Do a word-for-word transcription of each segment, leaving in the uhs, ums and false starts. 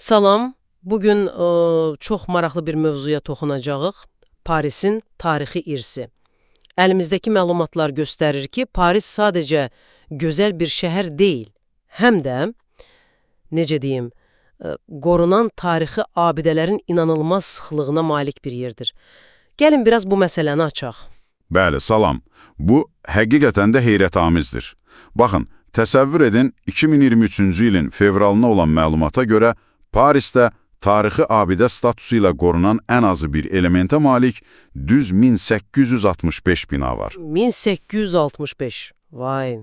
Salam, bugün ə, çox maraqlı bir mövzuya toxunacağıq. Parisin tarixi irsi. Əlimizdəki məlumatlar göstərir ki, Paris sadəcə gözəl bir şəhər deyil, həm də, necə deyim, ə, qorunan tarixi abidələrin inanılmaz sıxlığına malik bir yerdir. Gəlin biraz bu məsələni açaq. Bəli, salam. Bu, həqiqətən də heyrətamizdir. Baxın, təsəvvür edin, iki min iyirmi üçüncü ilin fevralına olan məlumata görə Parisdə tarixi abidə statusu ilə qorunan ən azı bir elementə malik düz min səkkiz yüz altmış beş bina var. min səkkiz yüz altmış beş. Vay,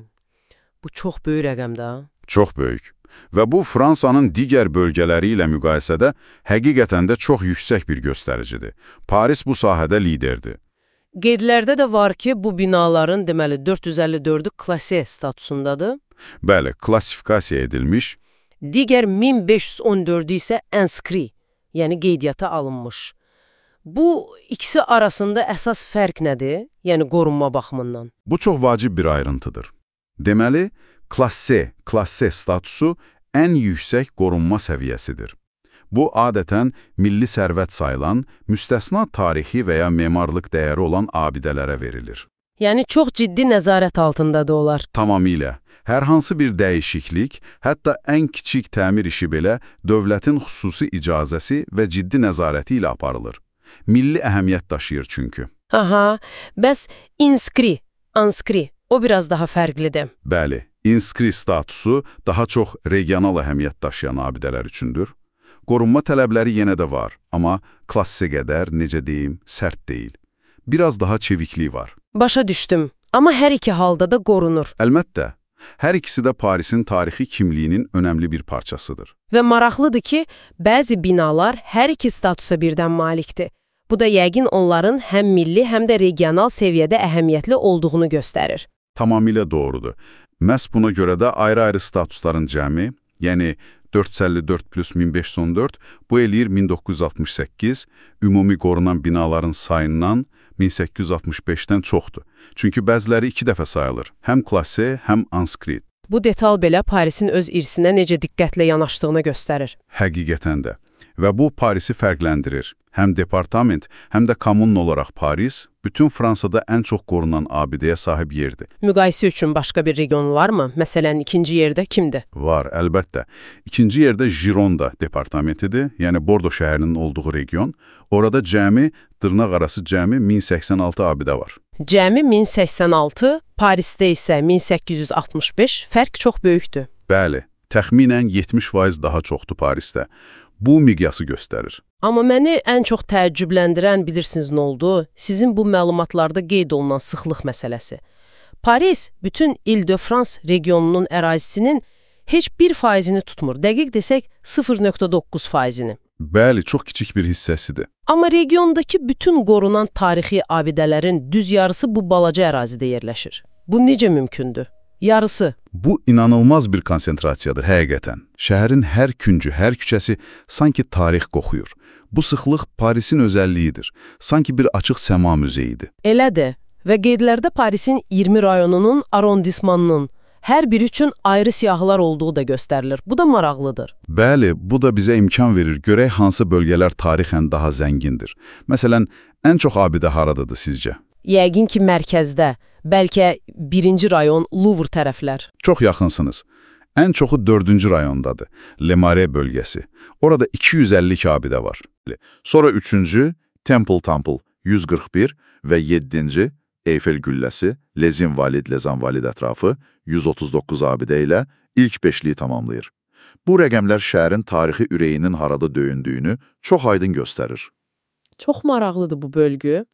bu çox böyük rəqəmdir ha. Çox böyük. Və bu, Fransanın digər bölgələri ilə müqayisədə həqiqətən də çox yüksək bir göstəricidir. Paris bu sahədə liderdir. Qeydlərdə də var ki, bu binaların deməli dörd yüz əlli dördü klasse statusundadır. Bəli, klassifikasiya edilmiş. Digər min beş yüz on dördü isə inskri, yəni qeydiyyata alınmış. Bu ikisi arasında əsas fərq nədir? Yəni qorunma baxımından. Bu çox vacib bir ayrıntıdır. Deməli, klasse, klasse statusu ən yüksək qorunma səviyyəsidir. Bu, adətən milli sərvət sayılan, müstəsna tarixi və ya memarlıq dəyəri olan abidələrə verilir. Yəni çox ciddi nəzarət altındadır onlar. Tamamilə. Hər hansı bir dəyişiklik, hətta ən kiçik təmir işi belə dövlətin xüsusi icazəsi və ciddi nəzarəti ilə aparılır. Milli əhəmiyyət daşıyır çünki. Aha, bəs inskri, anskri, o biraz daha fərqlidir. Bəli, inskri statusu daha çox regional əhəmiyyət daşıyan abidələr üçündür. Qorunma tələbləri yenə də var, amma klassə qədər, necə deyim, sərt deyil. Biraz daha çevikliyi var. Başa düşdüm, amma hər iki halda da qorunur. Əlbəttə. Hər ikisi də Parisin tarixi kimliyinin önəmli bir parçasıdır. Və maraqlıdır ki, bəzi binalar hər iki statusa birdən malikdir. Bu da yəqin onların həm milli, həm də regional səviyyədə əhəmiyyətli olduğunu göstərir. Tamamilə doğrudur. Məhz buna görə də ayrı-ayrı statusların cəmi, yəni dörd yüz əlli dörd plus min beş yüz on dörd, bu eləyir min doqquz yüz altmış səkkiz, ümumi qorunan binaların sayından min səkkiz yüz altmış beşdən çoxdur. Çünki bəziləri iki dəfə sayılır, həm klasse, həm anskrit. Bu detal belə Parisin öz irsinə necə diqqətlə yanaşdığını göstərir. Həqiqətən də. Və bu Parisi fərqləndirir. Həm departament, həm də kommun olaraq Paris, bütün Fransada ən çox qorunan abidəyə sahib yerdir. Müqayisə üçün başqa bir region varmı? Məsələn, ikinci yerdə kimdir? Var, əlbəttə. İkinci yerdə Gironda departamentidir, yəni Bordo şəhərinin olduğu region. Orada cəmi, dırnaq arası cəmi min səksən altı abidə var. Cəmi min səksən altı, Parisdə isə min səkkiz yüz altmış beş, fərq çox böyükdür. Bəli, təxminən yetmiş faiz daha çoxdur Parisdə. Bu miqyası göstərir. Amma məni ən çox təəccübləndirən bilirsiniz nə oldu? Sizin bu məlumatlarda qeyd olunan sıxlıq məsələsi. Paris bütün İl-de-France regionunun ərazisinin heç bir faizini tutmur. Dəqiq desək sıfır nöqtə doqquz faizini. Bəli, çox kiçik bir hissəsidir. Amma regiondakı bütün qorunan tarixi abidələrin düz yarısı bu balaca ərazidə yerləşir. Bu necə mümkündür? Yarısı. Bu, inanılmaz bir konsentrasiyadır, həqiqətən. Şəhərin hər küncü, hər küçəsi sanki tarix qoxuyur. Bu sıxlıq Parisin özəlliyidir. Sanki bir açıq səma müzeyidir. Elədir. Və qeydlərdə Parisin iyirmi rayonunun, arondismanının hər biri üçün ayrı siyahılar olduğu da göstərilir. Bu da maraqlıdır. Bəli, bu da bizə imkan verir. Görək hansı bölgələr tarixən daha zəngindir. Məsələn, ən çox abidə haradadır sizcə? Yəqin ki, mərkəzdə. Bəlkə birinci rayon Louvre tərəflər. Çox yaxınsınız. Ən çoxu dördüncü rayondadır, Le Marais bölgəsi. Orada iki yüz əlli iki abidə var. Sonra üçüncü Temple Temple yüz qırx bir və yeddinci Eyfel gülləsi, Les Invalides, Les Invalides ətrafı yüz otuz doqquz abidə ilə ilk beşliyi tamamlayır. Bu rəqəmlər şəhərin tarixi ürəyinin harada döyündüyünü çox aydın göstərir. Çox maraqlıdır bu bölgü.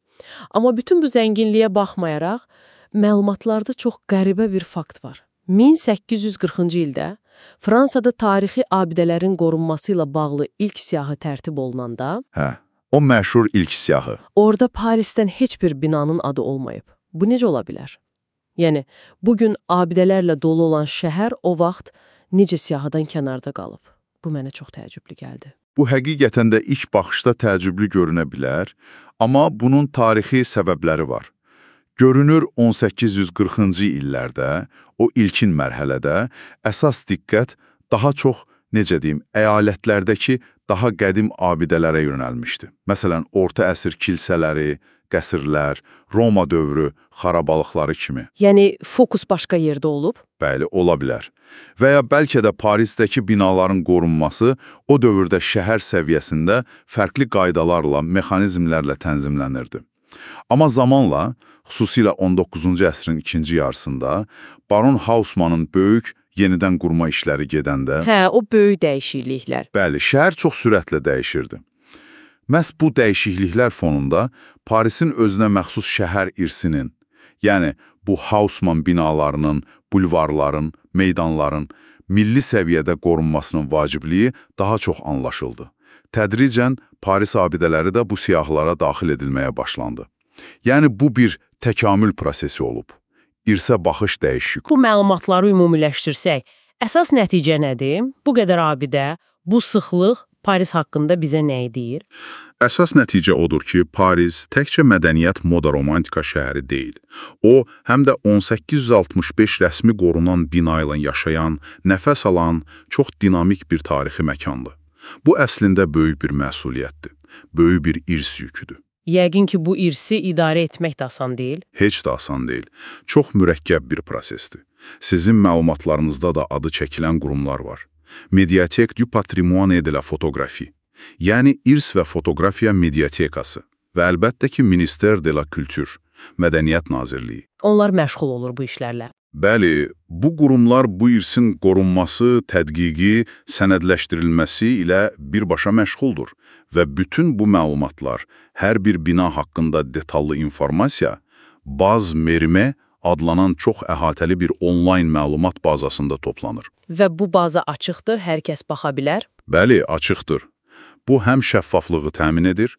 Amma bütün bu zənginliyə baxmayaraq, məlumatlarda çox qəribə bir fakt var. min səkkiz yüz qırxıncı ildə Fransada tarixi abidələrin qorunması ilə bağlı ilk siyahı tərtib olunanda, Hə, o məşhur ilk siyahı. Orada Parisdən heç bir binanın adı olmayıb. Bu necə ola bilər? Yəni, bugün abidələrlə dolu olan şəhər o vaxt necə siyahıdan kənarda qalıb? Bu mənə çox təəccüblü gəldi. Bu həqiqətən də ilk baxışda təəccüblü görünə bilər, amma bunun tarixi səbəbləri var. Görünür on səkkiz yüz qırxıncı illərdə, o ilkin mərhələdə əsas diqqət daha çox necə deyim, əyalətlərdəki daha qədim abidələrə yönəlmişdi. Məsələn, orta əsr kilsələri, qəsrlər, Roma dövrü xarabalıqları kimi. Yəni, fokus başqa yerdə olub? Bəli, ola bilər. Və ya bəlkə də Parisdəki binaların qorunması o dövrdə şəhər səviyyəsində fərqli qaydalarla, mexanizmlərlə tənzimlənirdi. Amma zamanla, xüsusilə on doqquzuncu əsrin ikinci yarısında, Baron Haussmannın böyük yenidən qurma işləri gedəndə... Hə, o böyük dəyişikliklər. Bəli, şəhər çox sürətlə dəyişirdi. Məhz bu dəyişikliklər fonunda Parisin özünə məxsus şəhər irsinin, yəni bu Haussmann binalarının, bulvarların, meydanların milli səviyyədə qorunmasının vacibliyi daha çox anlaşıldı. Tədricən Paris abidələri də bu siyahılara daxil edilməyə başlandı. Yəni bu bir təkamül prosesi olub. İrsə baxış dəyişik. Bu məlumatları ümumiləşdirsək, əsas nəticə nədir? Bu qədər abidə, bu sıxlıq Paris haqqında bizə nəyi deyir? Əsas nəticə odur ki, Paris təkcə mədəniyyət moda romantika şəhəri deyil. O, həm də on səkkiz yüz altmış beş rəsmi qorunan bina ilə yaşayan, nəfəs alan, çox dinamik bir tarixi məkandır. Bu əslində böyük bir məsuliyyətdir, böyük bir irs yüküdür. Yəqin ki, bu irsi idarə etmək də asan deyil. Heç də asan deyil. Çox mürəkkəb bir prosesdir. Sizin məlumatlarınızda da adı çəkilən qurumlar var. Mediatek du Patrimoine de la Photographie, yəni irs və fotografiya mediatekası və əlbəttə ki, Ministère de la Culture, Mədəniyyət Nazirliyi. Onlar məşğul olur bu işlərlə. Bəli, bu qurumlar bu irsin qorunması, tədqiqi, sənədləşdirilməsi ilə birbaşa məşğuldur və bütün bu məlumatlar, hər bir bina haqqında detallı informasiya, Baz Merime adlanan çox əhatəli bir onlayn məlumat bazasında toplanır. Və bu baza açıqdır, hər kəs baxa bilər? Bəli, açıqdır. Bu həm şəffaflığı təmin edir,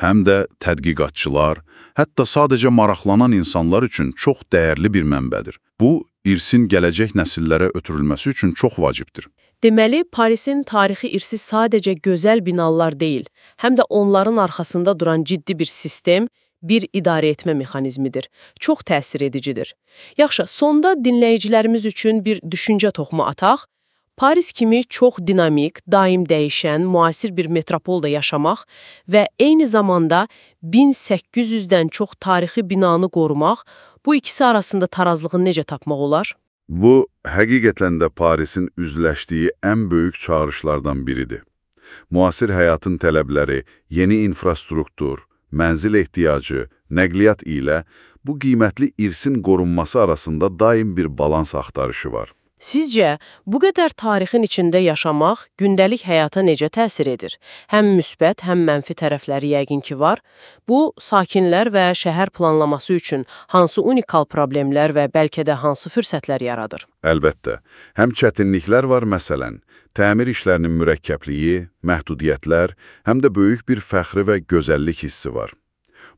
həm də tədqiqatçılar, hətta sadəcə maraqlanan insanlar üçün çox dəyərli bir mənbədir. Bu, irsin gələcək nəsillərə ötürülməsi üçün çox vacibdir. Deməli, Parisin tarixi irsi sadəcə gözəl binalar deyil, həm də onların arxasında duran ciddi bir sistem, bir idarə etmə mexanizmidir. Çox təsir edicidir. Yaxşı, sonda dinləyicilərimiz üçün bir düşüncə toxumu ataq. Paris kimi çox dinamik, daim dəyişən, müasir bir metropolda yaşamaq və eyni zamanda min səkkiz yüzdən çox tarixi binanı qorumaq, bu ikisi arasında tarazlığı necə tapmaq olar? Bu, həqiqətən də Parisin üzləşdiyi ən böyük çağırışlardan biridir. Müasir həyatın tələbləri, yeni infrastruktur, mənzil ehtiyacı, nəqliyyat ilə bu qiymətli irsin qorunması arasında daim bir balans axtarışı var. Sizcə, bu qədər tarixin içində yaşamaq gündəlik həyata necə təsir edir? Həm müsbət, həm mənfi tərəfləri yəqin ki var. Bu, sakinlər və şəhər planlaması üçün hansı unikal problemlər və bəlkə də hansı fürsətlər yaradır? Əlbəttə, həm çətinliklər var, məsələn, təmir işlərinin mürəkkəbliyi, məhdudiyyətlər, həm də böyük bir fəxri və gözəllik hissi var.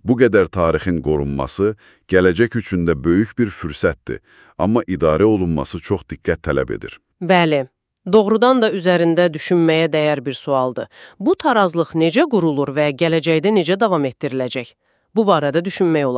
Bu qədər tarixin qorunması gələcək üçün də böyük bir fürsətdir, amma idarə olunması çox diqqət tələb edir. Bəli, doğrudan da üzərində düşünməyə dəyər bir sualdır. Bu tarazlıq necə qurulur və gələcəkdə necə davam etdiriləcək? Bu barədə düşünmək olar.